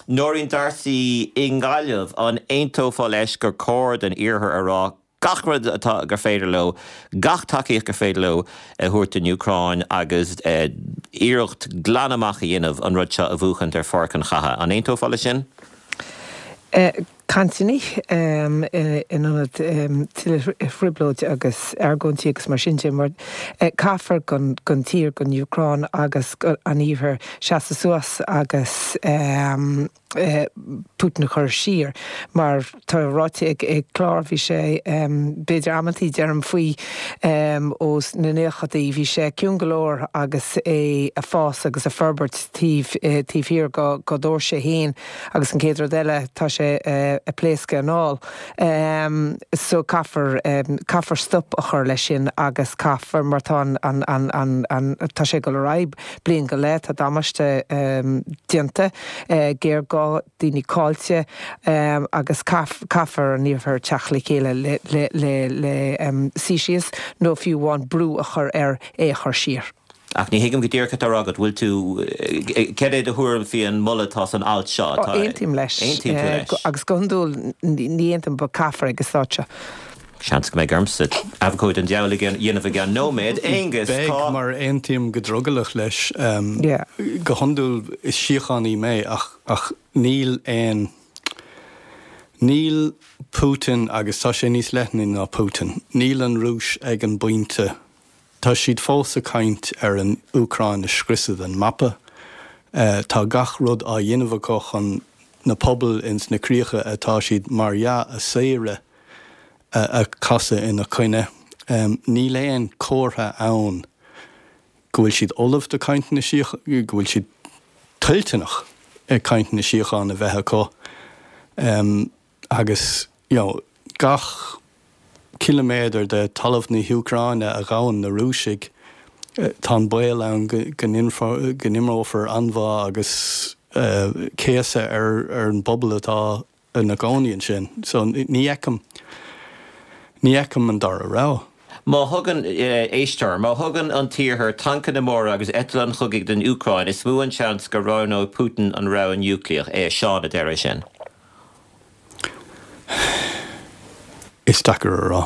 Nóirín D'Arcy i nGaillimh, an aontófá leis gur cóir don Iarthar a rá gach rud atá gur féidir leo, gach tacaíocht gur féidir leo a thabhairt don Úcráin agus iarracht glan amach a dhéanamh an rud seo a bhuachaint ar pháirc an chatha. An aontófá leis sin? Cainteanna in ionad tuilleadh trioblóide agus argóintí agus mar sin de, mar caithfear don tír, don Úcráin agus an Iarthar seasamh suas agus Putin a chur siar. Mar tá ráite ag Clár, bhí sé, b'fhéidir amantaí deirim faoi ós na naochadaí, bhí sé ciúin go leor agus é a fás agus a forbairt taobh taobh thiar dá dtóirse féin agus an chéad rud eile tá sé a pléascadh anall. So caithfear, caithfear stop a chur leis sin agus caithfear, mar tá an, an, an, an, an, tá sé ag dul ar aghaidh bliain go leith, tá damáiste déanta, géarghá, daoine caillte agus caithfear an Iarthar teacht le chéile le, le, le, le suí síos nó fiú amháin brú a chur air é a chur siar. Ach ní thuigim go díreach cad tá á rá agat. Bhfuil tú, cad é do thuairim faoi an moladh atá san alt seo? Tá, aontaím leis. Aontaíonn tú leis. Agus go hiondúil ní aontaím but caithfear ag an staid seo. Seans go mbeidh ormsa abhcóide an diabhail a dhéanamh i gceann nóiméad. Aonghus, tá. Beidh, mar aontaím go drogallach leis. Go hiondúil is síochánaí mé ach ach níl aon, níl Putin, agus tá sé níos leithne ná Putin, níl an Rúis ag an bpointe Tá siad fós ag caint ar an Úcráin a scriosadh den mapa. Tá gach rud á dhéanamh acu chun na pobail ins na críocha atá siad mar dhea a saoradh a chasadh ina coinne. Níl aon chomhartha ann go bhfuil siad ullamh do cainteanna síochána, go bhfuil siad toilteanach cainteanna síochána a bheith acu. Agus, you know, gach ciliméadar de talamh na hÚcráine a ghabhann na Rúisigh, tá an baol ann go n-imreofar anbhá agus céasadh ar an bpobal atá ina gcónaí ansin. So ní fheicim, ní fheicim an dara rogha. Má thugann, éisteoir, má thugann an tIarthar tancanna móra agus eitleáin chogaidh don Úcráin, is mó an seans go roghnóidh Putin an rogha núicléach. É Seán a deir é sin. Is deacair a rá.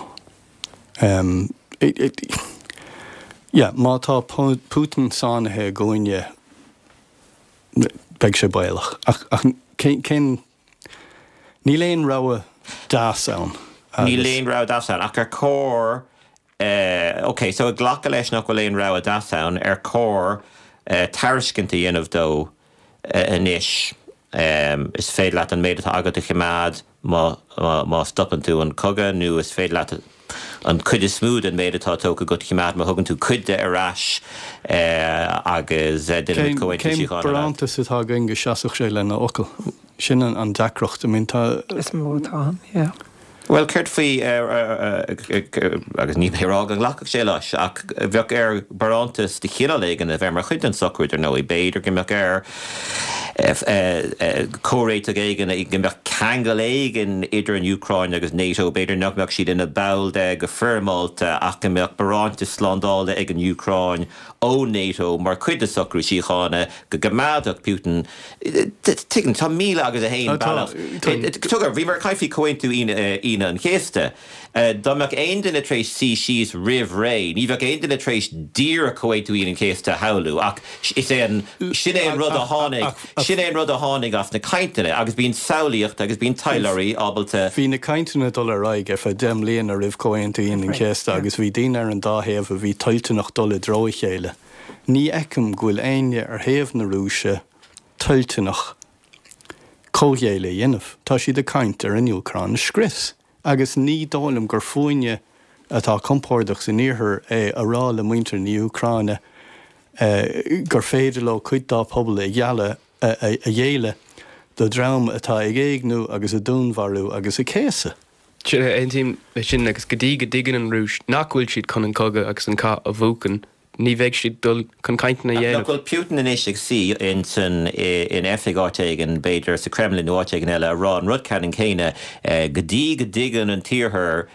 Yeah, má tá Putin sáinnithe i gcúinne, beidh sé baolach. Ach, ach cén, níl aon rogha deas ann. Níl aon rogha deas ann, ach ar chóir, ok, so ag glacadh leis nach bhfuil aon rogha deas ann, ar chóir tairiscint a dhéanamh dó Anois, is féidir leat an méid atá agat a choimeád má stopann tú an cogadh, nó is féidir leat an chuid is mó den méid atá tógtha agat a choimeád má thugann tú cuid de ar ais agus déanaimid comhaontú síochána leat. Cén barántas atá againn go seasfadh sé lena fhocal? Sin an deacracht. I mean, tá. Is mó atá ann, yeah. Bhuel, céard faoi, agus níl mé ag rá go nglacfadh sé leis, ach bheadh air barántas de chineál éigin a bheith mar chuid den socrú, dar ndóigh. B'fhéidir go mbeadh air comhréiteach éigin, go mbeadh ceangal éigin idir an Úcráin agus NATO, b'fhéidir nach mbeadh siad ina ball de go foirmeálta, ach go mbeadh barántas slándála ag an Úcráin ó NATO mar chuid de socrú síochána, go gcoimeádfadh Putin Tuigim, tá 1001 bealach. Tuigim, bhíomar ag caint faoi Chomhaontú Aoine. Aoine an Chéasta. Dá mbeadh aon duine tar éis suí síos roimh ré, ní bheadh aon duine tar éis díreach Comhaontú Aoine an Chéasta a shamhlú, ach is é an, sin é an rud a tháinig, sin é an rud a tháinig as na cainteanna, agus bíonn samhlaíocht agus bíonn taidhleoirí ábalta. Bhí na cainteanna ag dul ar aghaidh ar feadh 10 mbliana roimh Comhaontú Aoine an Chéasta agus bhí daoine ar an dá thaobh a bhí toilteanach dul i dtreo a chéile. Ní fheicim go bhfuil éinne ar thaobh na Rúise toilteanach comhghéilleadh a dhéanamh. Tá siad ag caint ar an Úcráin a scrios. Agus ní dóigh liom gur fúinne atá compordach san Iarthar é a rá le muintir na hÚcráine gur féidir leo cuid dá pobal a ghealladh, a ghéilleadh do dhream atá ag éigniú agus ag dúnmharú agus ag céasadh. Aontaím leis sin agus go dtí go dtuigeann an Rúis nach bhfuil siad chun an cogadh agus an cath a bhuachan, Ní bheidh siad dul chun cainteanna a dhéanamh. Nach bhfuil Putin anois ag suí insan, in oifig áit éigin, b'fhéidir sa Kremlin nó áit éigin eile, a rá an rud ceannann céanna, go dtí go dtuigeann an tIarthar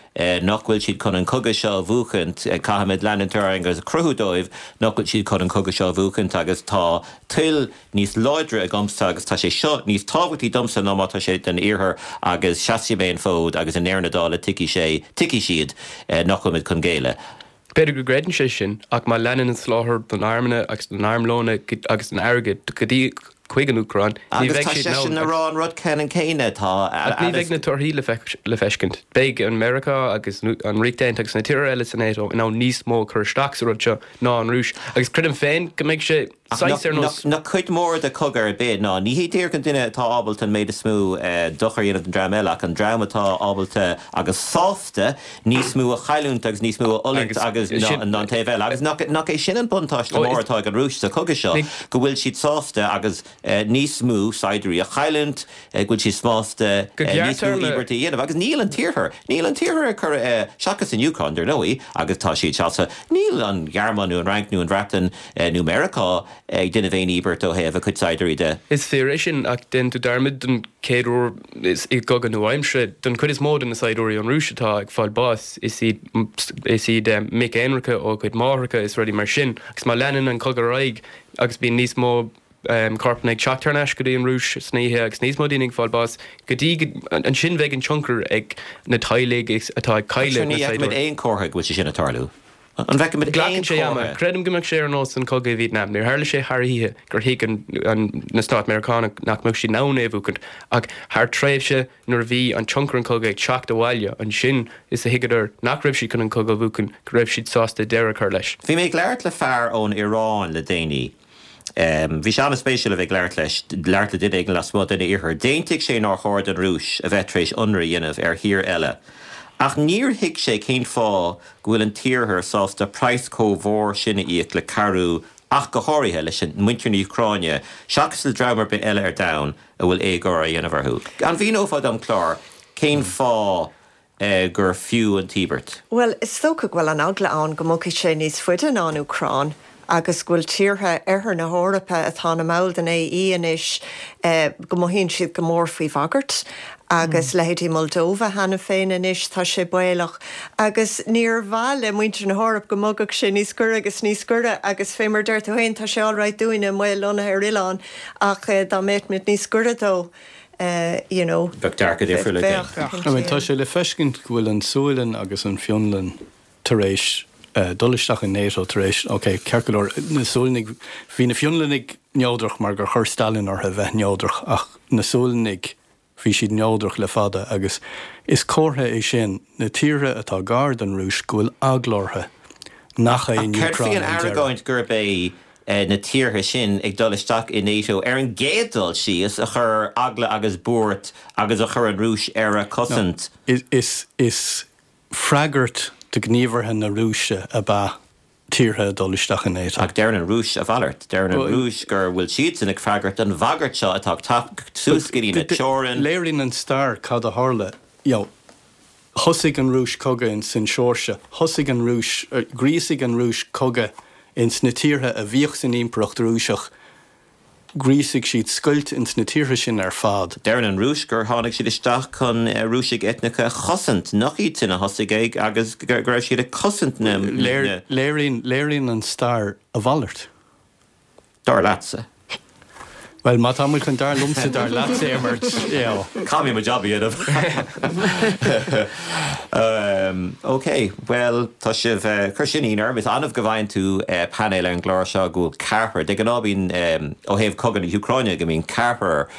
nach bhfuil siad chun an cogadh seo a bhuachaint, caithfimid leanúint ar aghaidh agus a chruthú dóibh nach bhfuil siad chun an cogadh seo a bhuachaint agus tá toil níos láidre agamsa agus tá sé seo níos tábhachtaí domsa ná má tá sé don Iarthar agus seasfaidh mé an fód agus i ndeireadh na dála tuigfidh sé, tuigfidh siad nach bhfuilimid chun géilleadh. B'fhéidir go gcreideann sé sin, ach má leanann an soláthar don armanna agus don armlóna agus don airgead go dtí chuig an Úcráin, ní Agus bheidh tá siad in seisean ann a agus. rá an rud ceannann céanna, tá Ach ní bheidh na torthaí le feiscint. Beidh an Meiriceá agus an Ríocht Aontaithe agus na tíortha eile sa NATO in ann níos mó a chur isteach sa rud seo ná an Rúis, agus creidim féin go mbeidh sé Ach saghas ar nós. nach cuid mhór de chogadh ar bith ná ní hé díreach an duine atá ábalta an méid is mó dochar a dhéanamh don dream eile ach an dream atá ábalta agus sásta níos mó a chailliúint agus níos mó a fhulaingt agus ná an taobh eile. Agus nach é sin an buntáiste mór atá ag an Rúis sa chogadh seo, go bhfuil siad sásta agus níos mó saighdiúirí a chailliúint, go bhfuil siad sásta níos mó íobairtí a dhéanamh. Agus níl an tIarthar, níl an tIarthar ag cur, seachas an Úcráin, dar ndóigh, agus tá siad sásta, níl an Ghearmáin nó an Fhrainc nó an Bhreatain nó Meiriceá ag déanamh aon íobairt ó thaobh a cuid saighdiúirí de. Is fíor é sin, ach déanann tú dearmad don chéad uair i gcogadh nua-aimseartha, don chuid is mó de na saighdiúirí ón Rúis atá ag fáil báis, is iad is iad mic aonraice ó a gcuid máithreacha is rudaí mar sin. Agus má leanann an cogadh ar aghaidh agus bíonn níos mó corpanna ag teacht thar n-ais go dtí an Rúis san oíche agus níos mó daoine ag fáil bás, go dtí go, ansin bheidh an tionchar ag na teaghlaigh atá ag cailleadh na Ní fheicimid aon chomhartha go bhfuil sé sin ag tarlú. An bhfeicimid aon Glacann sé ama. chomhartha? Creidim go mbeadh sé ar nós an cogadh i Vietnam. Níor tharla sé thar oíche gur thuig an, an, na Stáit Meiriceánach nach mbeadh siad in ann é a bhuachaint, ach thar tréimhse nuair a bhí an tionchar an chogaidh ag teacht abhaile, ansin is a thuigeadar nach raibh siad chun an cogadh a bhuachan, go raibh siad sásta deireadh a chur leis. Bhí mé ag labhairt le fear ón Iaráin le déanaí. Bhí sé an-spéisiúil a bheith ag labhairt leis, labhairt le duine éigin lasmuigh den Iarthar. D'aontaigh sé nár chóir don Rúis a bheith tar éis ionradh a dhéanamh ar thír eile. Ach níor thuig sé cén fáth go bhfuil an tIarthar sásta praghas chomh mhór sin a íoc le cabhrú ach go háirithe leis an muintir na hÚcráine seachas le dream ar bith eile ar domhan a bhfuil éagóir á dhéanamh orthu. An mhíneofá dom, Clár, cén fáth gur fiú an t-íobairt? Bhuel, is dócha go bhfuil an eagla ann go mbogfaidh sé níos faide ná an Úcráin agus go bhfuil tíortha oirthear na hEorpa atá ina mball den AE anois, go mothaíonn siad go mór faoi bhagairt agus leithéidí Moldova cheana féin anois, tá sé baolach agus níor mhaith le muintir na hEorpa go mbogfadh sé níos gaire agus níos gaire agus fé mar a deir tú féin, tá sé alright dúinne amuigh lonnaithe ar oileán ach dá mbeadh muid níos gaire dó. you know. Bheadh dearcadh difriúil againn. Bheadh, I mean, tá sé le feiscint go bhfuil an Sualainn agus an Fhionlainn tar éis dul isteach in NATO tar éis, ok, ceart go leor, na Sualannaigh, bhí na Fionlannaigh neodrach mar gur chuir Stalin orthu a bheith neodrach ach na Sualannaigh, bhí siad neodrach le fada agus is comhartha é sin, na tíortha atá gar don Rúis, go bhfuil eagla orthu nach é Ach an céard faoi Úcráin an an deireadh. argóint gurb é na tíortha sin ag dul isteach i NATO ar an gcéad dul síos a chuir eagla agus buairt agus a chuir an Rúis ar a cosaint. Is is freagairt do ghníomhartha na Rúise ab ea tíortha ag dul isteach i NATO. Ach deireann an Rúis a mhalairt. Deireann an Rúis gur bhfuil siadsan ag freagairt don bhagairt seo atá ag teacht suas go dtí na teorann. Léiríonn an stair cad a tharla. You know, Thosaigh an Rúis cogadh ins an Seoirsia, thosaigh an Rúis, ghríosaigh an Rúis cogadh ins na tíortha a bhíodh san Impireacht Rúiseach, ghríosaigh siad scoilt ins na tíortha sin ar fad. Deireann an Rúis gur tháinig siad isteach chun Rúisigh eitneacha a chosaint, nach iad sin a thosaigh é agus go raibh siad ag cosaint na. Léiríonn, léiríonn an stair a mhalairt. Dar leatsa. Bhuel, má tá muid chun dar liomsa, dar leatsa a imirt, you know. Caithfidh mé mo jab a dhéanamh. Ok, bhuel, tá sibh, chuir sin ionadh orm. Is annamh go bhfaigheann tú painéal ar an gclár seo go bhfuil ceathrar, de ghnáth bíonn, ó thaobh cogadh na hÚcráine, go mbíonn ceathrar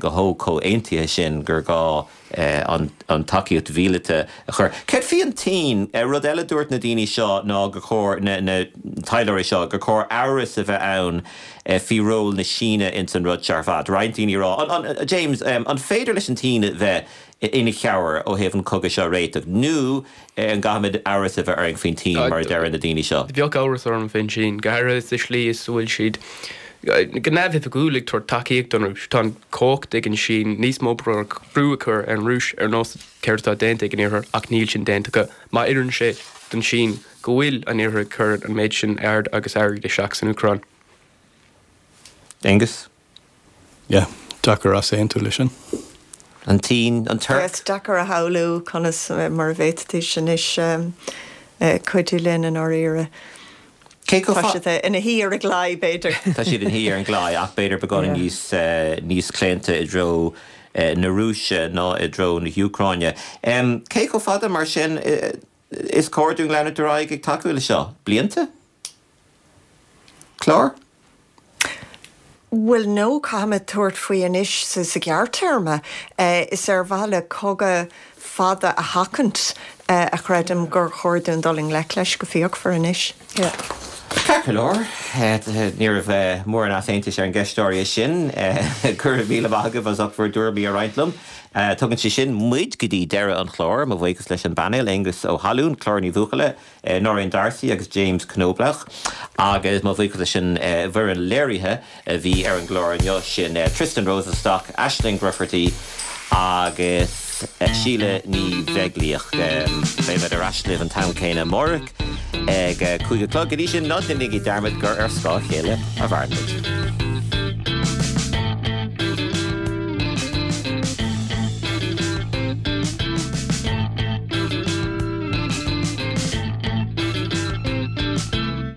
go chomh comhaontaithe sin gur gá an tacaíocht mhíleata a chur. Céard faoi an tSín? Rud eile a dúirt na daoine seo ná gur chóir, na taidhleoirí seo, gur chóir amhras a bheith ann faoi ról na Síne ins an rud seo ar fad. Roinnt daoine ag rá, James, an féidir leis an tSín bheith ina chabhair ó thaobh an cogadh seo a réiteach nó an gcaithfimid amhras a bheith orainn faoin tSín mar a deireann na daoine seo? Bheadh amhras orm faoin tSín, go háirithe sa slí is a bhfuil siad go neamhoifigiúil ag tabhairt tacaíocht don Rúis. Tá an chumhacht ag an Sín níos mó brú a chur ar an Rúis ar nós céard atá déanta ag an Iarthar ach níl sin déanta acu. Má oireann sé don Sín go bhfuil an Iarthar ag cur an méid sin aird agus airgid isteach san Úcráin. Aengus? Yeah, deacair easaontú leis sin. An tSín, an Tuirc. Is deacair a shamhlú conas mar a bhféadfaidís anois cuidiú linn i ndáiríre. Cé chomh Tá siad ina shuí ar an gclaí, b'fhéidir. Tá siad ina shuí ar an gclaí ach b'fhéidir beagáinín níos níos claonta i dtreo na Rúise ná i dtreo na hÚcráine. Cé chomh fada mar sin is cóir dúinn leanúint ar aghaidh ag tacú le seo? Blianta? Clár? Bhuel, no, caithfimid tabhairt faoi anois sa ghearrtéarma. Is ar mhaithe le cogadh fada a sheachaint a chreidim gur chóir dúinn dul i ngleic leis go fíochmhar anois. Ceart go leor, ní raibh mórán easaontais ar an gceist áirithe sin. Go raibh míle maith agaibh as ucht bhur dtuairimí a roinnt liom. Tugann sé sin muid go dtí deireadh an chláir. Mo bhuíochas leis an bpainéal, Aengus Ó hAlúin, Clár Ní Bhuachalla, Nóirín D'Arcy agus James Knoblauch agus mo bhuíochas leis an bhfoireann léirithe a bhí ar an gclár inniu, sin Tristan Rosenstock, Aisling Grufferty agus Síle Ní Bheaglaoich. Beidh muid ar ais libh an t-am céanna amárach ag 5 a chlog. Go dtí sin, ná déanaigí dearmad gur ar scáth a chéile a mhaireann muid.